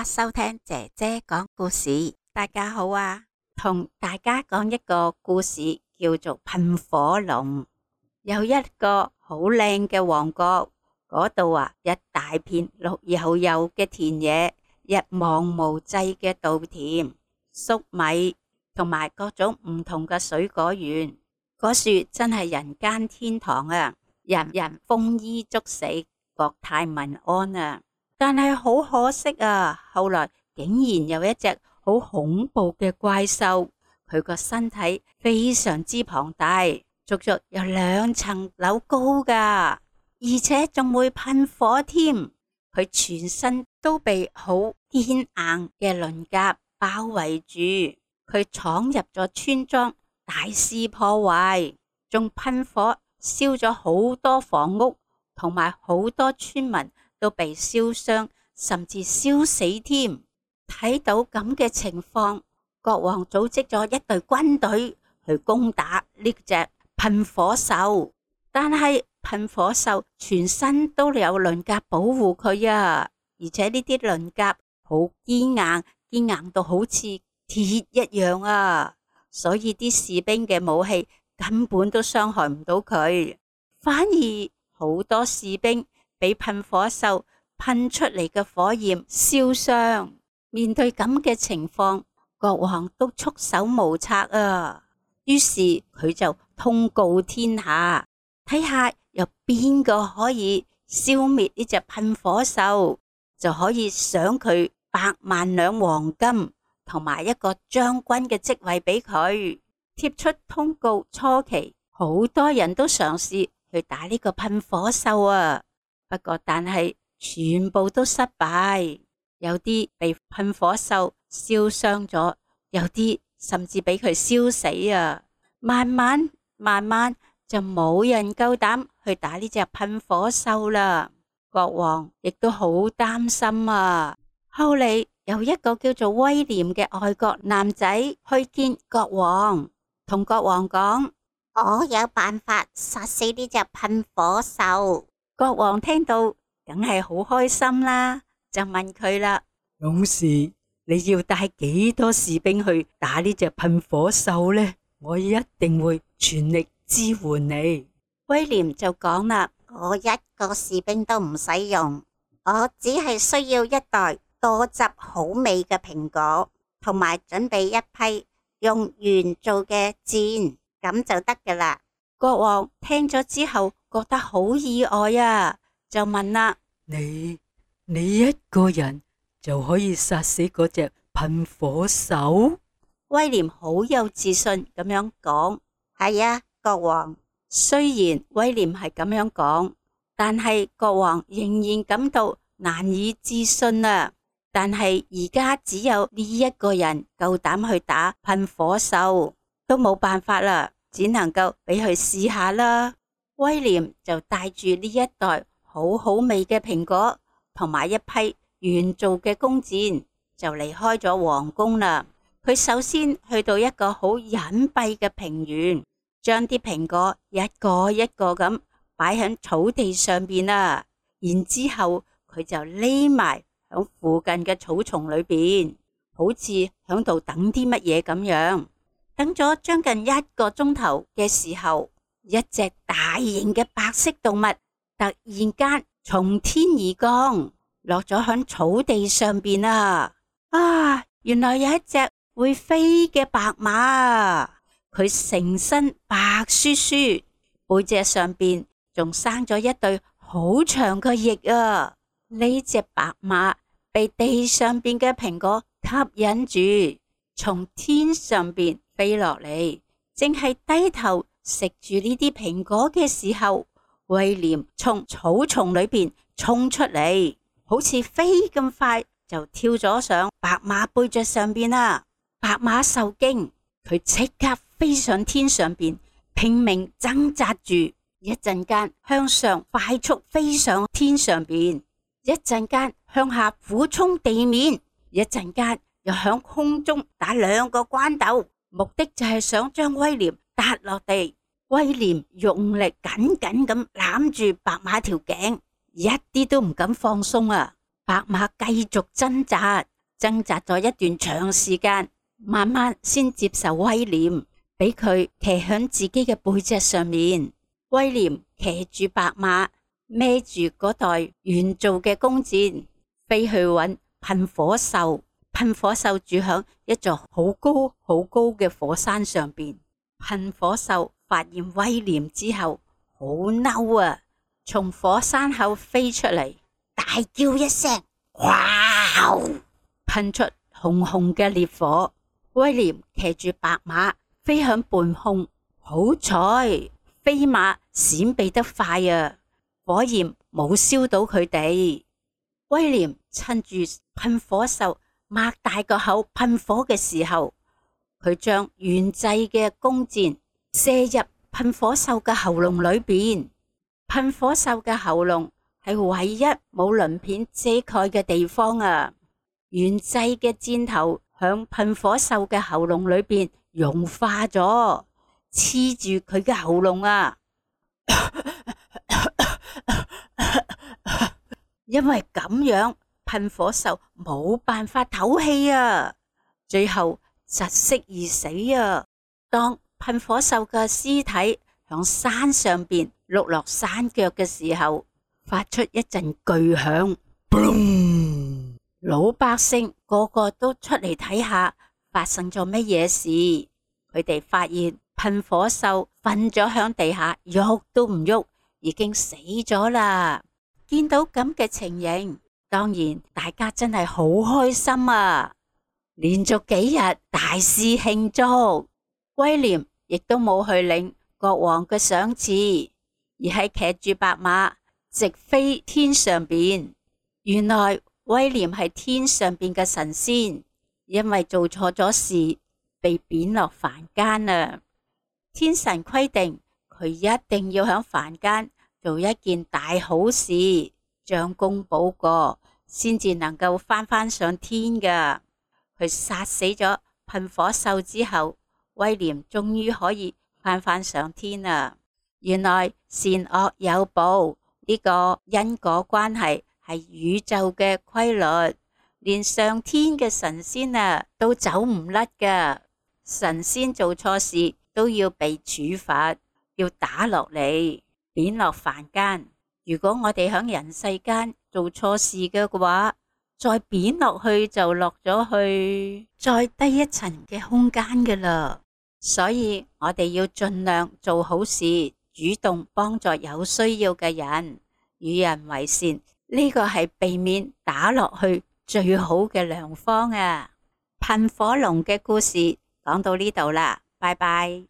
家收聽姐姐講故事。大家好啊，同大家講一個故事，叫做噴火龍。有一個好靚嘅王國，嗰度一大片綠油油嘅田野，一望無際嘅稻田、粟米同埋各種唔同嘅水果園。嗰樹真係人間天堂啊，人人豐衣足食，國泰民安啊。但係好可惜啊，後來竟然有一隻好恐怖嘅怪獸，佢個身體非常之龐大，足足有2層樓高㗎，而且仲會噴火添。佢全身都被好堅硬嘅鱗甲包圍住，佢闖入咗村莊，大肆破壞，仲噴火燒咗好多房屋，同埋好多村民都被燒傷，甚至燒死添。睇到咁嘅情況，國王組織咗一隊軍隊去攻打呢隻噴火獸。但係噴火獸全身都有鱗甲保護佢啊，而且呢啲鱗甲好堅硬到好似鐵一樣啊，所以啲士兵嘅武器根本都傷害唔到佢，反而好多士兵俾噴火獸噴出嚟嘅火焰燒傷。面對咁嘅情況，國王都束手無策啊。於是佢就通告天下，睇下有邊個可以消滅呢隻噴火獸，就可以賞佢100萬兩黃金同埋一個將軍嘅職位俾佢。貼出通告初期，好多人都嘗試去打呢個噴火獸啊，不過但係全部都失敗，有啲被噴火獸燒傷咗，有啲甚至俾佢燒死啊。慢慢就冇人夠膽去打呢隻噴火獸啦。國王亦都好擔心啊。後嚟有一個叫做威廉嘅外國男仔去見國王，同國王講：我有辦法殺死呢隻噴火獸。國王聽到梗係好開心啦，就問佢啦：勇士，你要帶幾多士兵去打呢隻噴火獸呢？我一定會全力支援你。威廉就講啦：我一個士兵都唔使用，我只係需要一袋多汁好味嘅蘋果，同埋準備一批用鉛做嘅箭，咁就得㗎喇。國王聽咗之後覺得好意外啊，就問啦：你一個人就可以殺死嗰隻噴火獸？威廉好有自信咁樣講：係啊，國王。雖然威廉係咁樣講，但係國王仍然感到難以置信啊。但係而家只有呢一個人夠膽去打噴火獸，都冇辦法啦，只能夠俾佢試下啦。威廉就帶住呢一袋好好味嘅蘋果同埋一批鉛做嘅弓箭，就離開咗皇宮啦。佢首先去到一個好隱蔽嘅平原，將啲蘋果一個一個咁擺喺草地上邊啦。然之後佢就匿埋喺附近嘅草叢裏邊，好似喺度等啲乜嘢咁樣。等咗將近1個鐘頭嘅時候，一隻大型嘅白色動物突然間從天而降，落咗喺草地上邊啊！原來有一隻會飛嘅白馬啊！佢成身白雪雪，背脊上邊仲生咗一對好長嘅翼啊！呢隻白馬被地上邊嘅蘋果吸引住，從天上邊飛落嚟，正係低頭食住呢啲蘋果嘅時候，威廉從草叢裏邊衝出嚟，好似飛咁快就跳咗上白馬背脊上邊啦。白馬受驚，佢即刻飛上天上邊，拼命掙扎住，一陣間向上快速飛上天上邊，一陣間向下俯衝地面，一陣間又響空中打2個關斗，目的就係想將威廉撻落地。威廉用力緊緊咁攬住白馬條頸，一啲都唔敢放鬆啊！白馬繼續掙扎咗一段長時間，慢慢先接受威廉，俾佢騎響自己嘅背脊上面。威廉騎住白馬，孭住嗰袋原造嘅弓箭，飛去搵噴火獸。噴火獸住響一座好高好高嘅火山上邊。噴火獸發現威廉之後，好嬲啊！從火山口飛出嚟，大叫一聲，哇！噴出紅紅嘅烈火。威廉騎住白馬飛向半空，好彩飛馬閃避得快啊，火焰冇燒到佢哋。威廉趁住噴火獸擘大個口噴火嘅時候，佢將原製嘅弓箭射入噴火獸嘅喉嚨裏邊。噴火獸嘅喉嚨係唯一冇鱗片遮蓋嘅地方啊！原製嘅箭頭響噴火獸嘅喉嚨裏邊融化咗，黐住佢嘅喉嚨啊！因為咁樣，噴火獸冇辦法唞氣啊，最後窒息而死啊！當噴火獸嘅屍體響山上邊碌落山腳嘅時候，發出一陣巨響，老百姓個個都出嚟睇下發生咗乜嘢事。佢哋發現噴火獸瞓咗響地下，喐都唔喐，已經死咗啦。見到咁嘅情形，當然大家真係好開心啊！連續幾日大肆慶祝。威廉亦都冇去領國王嘅賞賜，而係騎住白馬直飛天上邊。原來威廉係天上邊嘅神仙，因為做錯咗事被貶落凡間啊！天神規定佢一定要響凡間做一件大好事，將功補過，先至能夠返上天噶。佢殺死咗噴火獸之後，威廉終於可以返上天啦。原來善惡有報，呢個因果關係係宇宙嘅規律，連上天嘅神仙啊都走唔甩噶。神仙做錯事都要被處罰，要打落嚟，貶落凡間。如果我哋響人世間做錯事嘅話，再貶落去就落咗去再低一層嘅空間噶啦。所以我哋要盡量做好事，主動幫助有需要嘅人，與人為善，呢個係避免打落去最好嘅良方啊！噴火龍嘅故事講到呢度啦，拜拜。